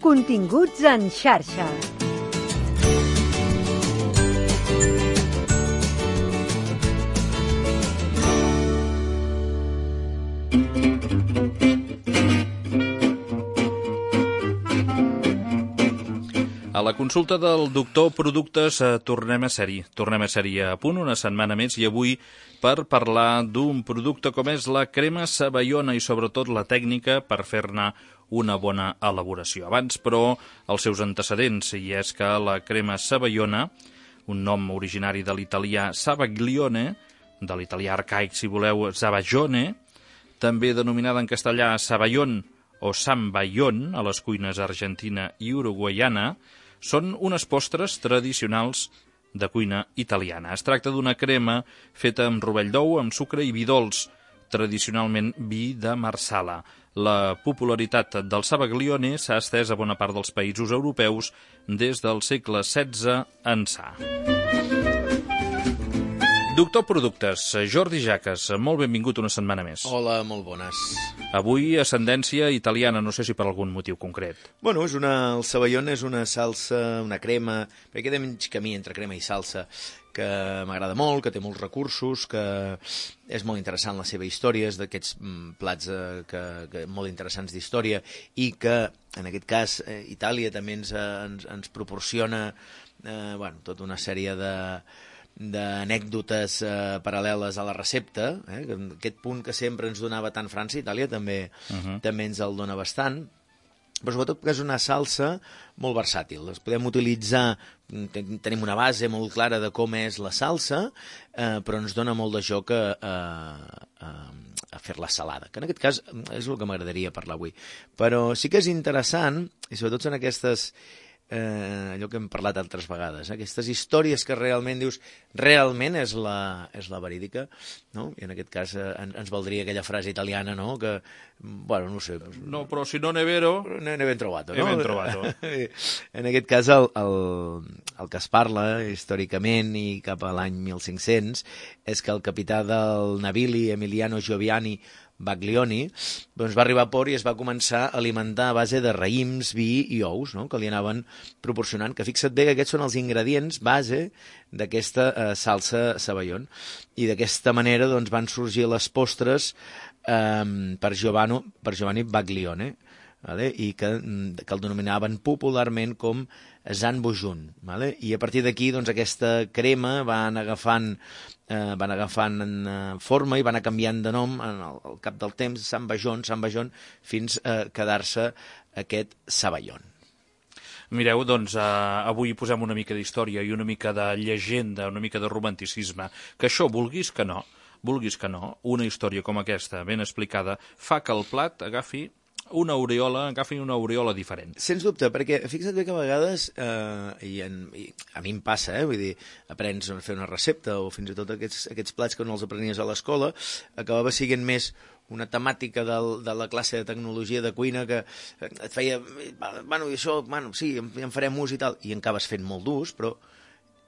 Continguts en xarxa. A la consulta del doctor Productes tornem a ser-hi a punt una setmana més i avui per parlar d'un producte com és la crema Savallona i sobretot la tècnica per fer-ne una bona elaboració. Abans, però, els seus antecedents, i és que la crema Savallona, un nom originari de l'italià Savaglione, de l'italià arcaic, si voleu, Savagione, també denominada en castellà Savallon o Samballon a les cuines argentina i uruguaiana, són unes postres tradicionals de cuina italiana. Es tracta d'una crema feta amb rovell d'ou, amb sucre i vi dolç, tradicionalment vi de Marsala. La popularitat del Savaglione s'ha estès a bona part dels països europeus des del segle XVI ençà. Doctor Productes, Jordi Jaques, molt benvingut una setmana més. Hola, molt bones. Avui ascendència italiana, no sé si per algun motiu concret. Bueno, el Savallone és una salsa, una crema, perquè queda mig camí entre crema i salsa, que m'agrada molt, que té molts recursos, que és molt interessant la seva història, és d'aquests plats que molt interessants d'història i que, en aquest cas, Itàlia també ens proporciona tota una sèrie d'anècdotes paral·leles a la recepta, aquest punt que sempre ens donava tant França i Itàlia també ens el dona bastant, però sobretot que és una salsa molt versàtil. Les podem utilitzar, tenim una base molt clara de com és la salsa, però ens dona molt de joc a fer-la salada, que en aquest cas és el que m'agradaria parlar avui. Però sí que és interessant, i sobretot en aquestes allò que hem parlat altres vegades, aquestes històries que realment dius, realment és la verídica, no? I en aquest cas ens valdria aquella frase italiana, no? Que, bueno, no sé... No, però si no ne vero... Ne ben trovato, no? Ne ben trovato. En aquest cas, el que es parla històricament i cap a l'any 1500 és que el capità del navili, Emiliano Gioviani Baglioni, doncs va arribar a port i es va començar a alimentar a base de raïms, vi i ous, no? Que li anaven proporcionant, que fixa't bé que aquests són els ingredients base d'aquesta salsa Savallon. I d'aquesta manera doncs, van sorgir les postres per Giovanni Baglione, vale? I que el denominaven popularment com Zanbojun, vale? I a partir d'aquí doncs, aquesta crema van agafant forma i van anar canviant de nom al cap del temps, Samballon, fins a quedar-se aquest Savallon. Mireu, doncs, avui posem una mica d'història i una mica de llegenda, una mica de romanticisme, que això, vulguis que no, una història com aquesta, ben explicada, fa que el plat agafi una aureola diferent. Sens dubte, perquè fixa't bé que a vegades, i a mi em passa, vull dir, aprens a fer una recepta o fins i tot aquests plats que no els aprenies a l'escola, acabava sent més una temàtica de la classe de tecnologia de cuina que et feia, sí, en farem ús i tal, i en acabes fent molt d'ús, però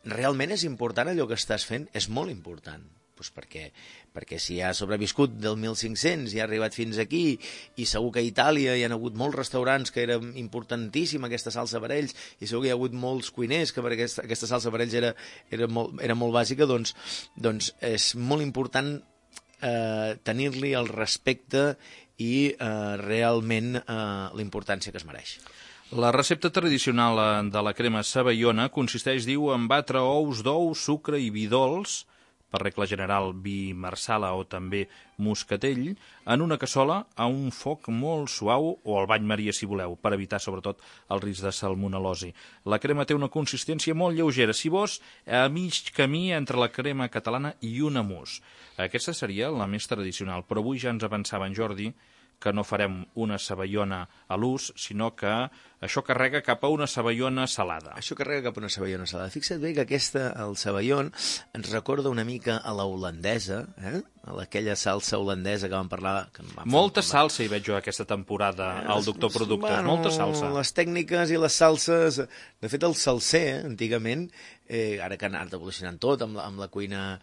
realment és important allò que estàs fent, és molt important. Pues perquè si ha sobreviscut del 1500 i ha arribat fins aquí i segur que a Itàlia hi ha hagut molts restaurants que era importantíssima aquesta salsa per ells i segur que hi ha hagut molts cuiners que per aquesta salsa per ells era molt bàsica, doncs és molt important tenir-li el respecte i realment la importància que es mereix. La recepta tradicional de la crema Savallona consisteix, diu, en batre ous d'ou, sucre i vi dolç, per regla general vi marsala o també moscatell, en una cassola a un foc molt suau o al bany maria si voleu, per evitar sobretot el risc de salmonel·losi. La crema té una consistència molt lleugera, si vols, a mig camí entre la crema catalana i una mousse. Aquesta seria la més tradicional, però avui ja ens avançava en Jordi que no farem una savallona a l'ús, sinó que això carrega cap a una savallona salada. Això carrega cap a una savallona salada. Fixa't bé que el savallon ens recorda una mica a la holandesa, aquella salsa holandesa que vam parlar... Molta salsa hi veig jo aquesta temporada al Doctor Productes, molta salsa. Les tècniques i les salses... De fet, el salser, antigament, ara que han anat evolucionant tot amb la cuina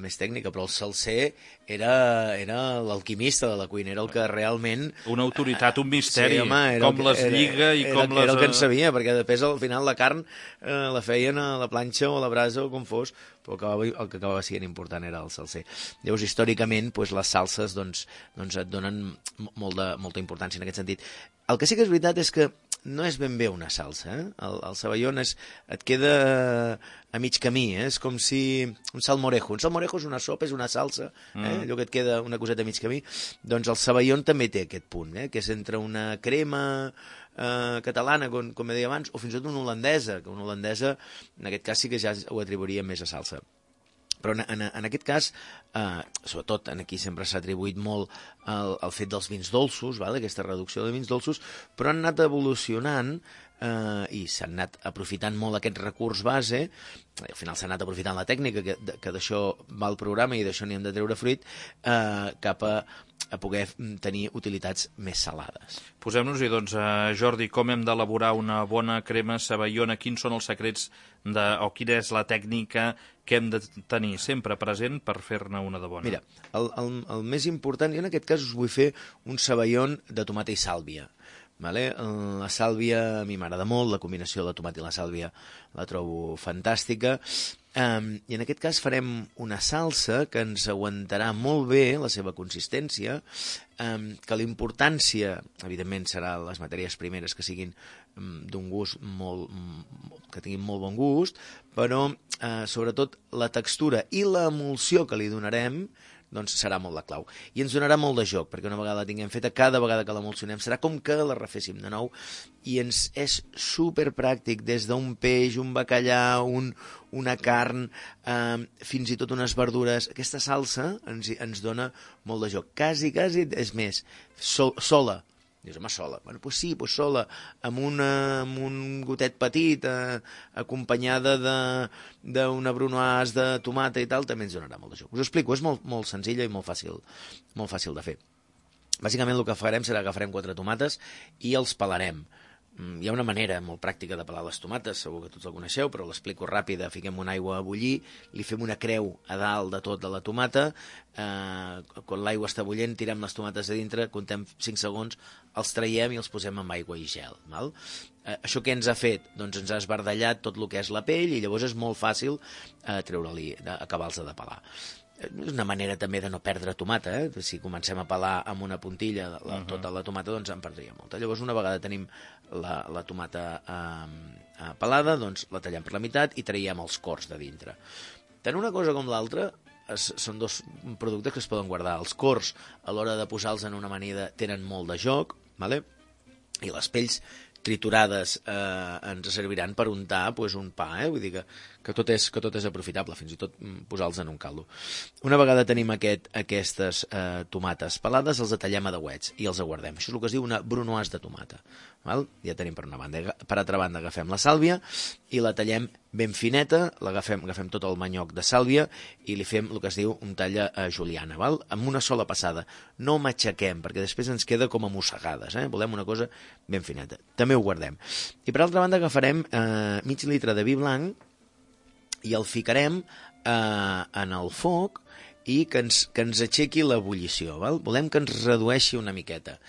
més tècnica, però el salser era l'alquimista de la cuina, era el que realment... Una autoritat, un misteri, sí, home, com les lliga i com les... Era el que en sabia, perquè després al final la carn la feien a la planxa o a la brasa o com fos, però el que acabava sent important era el salser. Llavors, històricament, les salses et donen molta importància en aquest sentit. El que sí que és veritat és que no és ben bé una salsa, eh? El sabaión et queda a mig camí, és com si... Un salmorejo. Un salmorejo és una sopa, és una salsa, allò que et queda una coseta a mig camí. Doncs el sabaión també té aquest punt, que és entre una crema catalana, com deia abans, o fins i tot una holandesa, que una holandesa, en aquest cas sí que ja ho atribuiria més a salsa. Però en aquest cas, sobretot aquí sempre s'ha atribuït molt el fet dels vins dolços, aquesta reducció de vins dolços, però han anat evolucionant i s'han anat aprofitant molt aquest recurs base, al final s'ha anat aprofitant la tècnica, que d'això va el programa i d'això n'hi hem de treure fruit, cap a poder tenir utilitats més salades. Posem-nos-hi, doncs, Jordi, com hem d'elaborar una bona crema sabaiona, quins són els secrets o quina és la tècnica que hem de tenir sempre present per fer-ne una de bona? Mira, el més important, jo en aquest cas us vull fer un sabaión de tomata i sàlvia. La sàlvia a mi m'agrada molt, la combinació de la tomata i la sàlvia la trobo fantàstica, i en aquest cas farem una salsa que ens aguantarà molt bé la seva consistència, que la importància, evidentment, serà les matèries primeres que siguin d'un gust que tinguin molt bon gust, però sobretot la textura i l'emulsió que li donarem doncs serà molt la clau. I ens donarà molt de joc, perquè una vegada la tinguem feta, cada vegada que l'emulsionem serà com que la reféssim de nou, i ens és superpràctic, des d'un peix, un bacallà, una carn, fins i tot unes verdures. Aquesta salsa ens dona molt de joc. Quasi, és més, sola. Dius, home, sola. Bueno, doncs sí, sola, amb un gotet petit, acompanyada d'una brunoise de tomata i tal, també ens donarà molt de joc. Us ho explico, és molt senzilla i molt fàcil de fer. Bàsicament el que farem serà agafarem 4 tomates i els pelarem. Hi ha una manera molt pràctica de pelar les tomates, segur que tots la coneixeu, però l'explico ràpida. Fiquem una aigua a bullir, li fem una creu a dalt de tot de la tomata, quan l'aigua està bullent tirem les tomates a dintre, comptem 5 segons, els traiem i els posem amb aigua i gel. Val? Això què ens ha fet? Doncs ens ha esbardellat tot el que és la pell i llavors és molt fàcil treure-li, acabar-los de pelar. És una manera també de no perdre tomata, Si comencem a pelar amb una puntilla tota la tomata, doncs en perdria molta. Llavors, una vegada tenim la tomata pelada, doncs la tallem per la meitat i traiem els cors de dintre. Tant una cosa com l'altra són dos productes que es poden guardar. Els cors, a l'hora de posar-los en una amanida, tenen molt de joc, i les pells triturades ens serviran per untar un pa, vull dir que tot és aprofitable, fins i tot posar-los en un caldo. Una vegada tenim aquestes tomates pelades, els tallem a dauets i els aguardem. Això és el que es diu una brunoise de tomata. Ja tenim per una banda. Per altra banda agafem la sàlvia i la tallem ben fineta, agafem tot el manyoc de sàlvia i li fem el que es diu un tall a juliana, amb una sola passada. No matxaquem, perquè després ens queda com a mossegades. Volem una cosa ben fineta. També ho guardem. I per altra banda agafarem mig litre de vi blanc i el ficarem en el foc i que ens aixequi l'ebullició. Volem que ens redueixi una miqueta.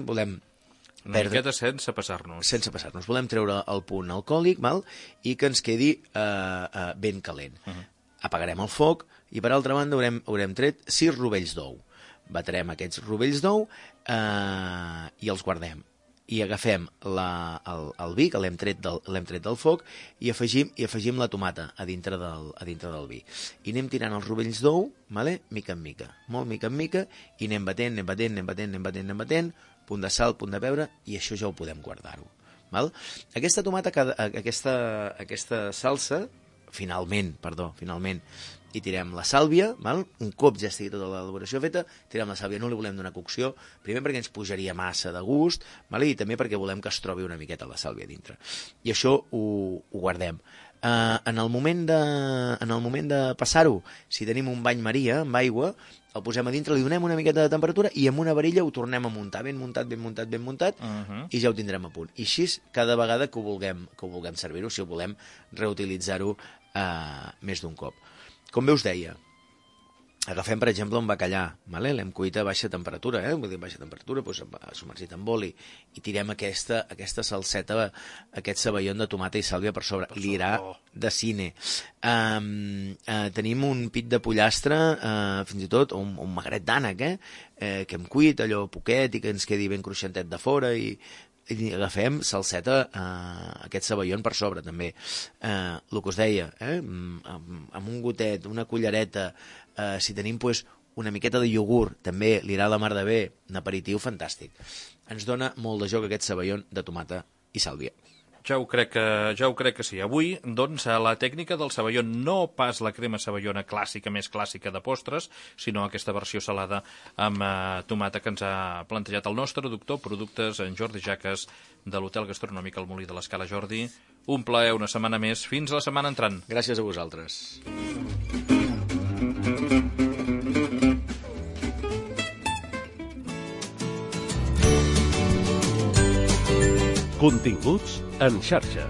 Volem una miqueta sense passar-nos. Sense passar-nos. Volem treure el punt alcohòlic i que ens quedi ben calent. Apagarem el foc i per altra banda haurem tret 6 rovells d'ou. Batrem aquests rovells d'ou i els guardem. I agafem el vi, que l'hem tret del foc, i afegim la tomata a dintre del vi. I anem tirant els rovells d'ou, mica en mica, molt mica en mica, i anem batent, punt de sal, punt de pebre, i això ja ho podem guardar-ho. Aquesta tomata, aquesta salsa, finalment, i tirem la sàlvia, val? Un cop ja estigui tota l'elaboració feta, tirem la sàlvia, no li volem donar cocció, primer perquè ens pujaria massa de gust, val? I també perquè volem que es trobi una miqueta la sàlvia dintre. I això ho guardem. En el moment de passar-ho, si tenim un bany maria amb aigua, el posem a dintre, li donem una miqueta de temperatura i amb una varilla ho tornem a muntar, ben muntat, i ja ho tindrem a punt. I així, cada vegada que ho vulguem servir-ho, si ho volem reutilitzar-ho més d'un cop. Com bé us deia, agafem, per exemple, un bacallà, vale? L'hem cuit a baixa temperatura, vull dir, baixa temperatura, doncs, submergit en oli, i tirem aquesta salseta, aquest ceballon de tomata i sàlvia per sobre. Li irà de cine. Tenim un pit de pollastre, fins i tot, o un magret d'ànec, que hem cuit, allò poquet, i que ens quedi ben cruixentet de fora, i agafem salseta, aquest ceballon per sobre, també. El que us deia, amb un gotet, una cullereta, si tenim una miqueta de iogurt, també li irà la mar de bé, un aperitiu fantàstic. Ens dona molt de joc aquest ceballon de tomata i sàlvia. Ja ho crec que sí. Avui, doncs, la tècnica del ceballon, no pas la crema ceballona clàssica, més clàssica de postres, sinó aquesta versió salada amb tomata que ens ha plantejat el nostre doctor productes, en Jordi Jaques, de l'Hotel Gastronòmic al Molí de l'Escala. Jordi, un plaer una setmana més. Fins la setmana entrant. Gràcies a vosaltres. Continguts en xarxa.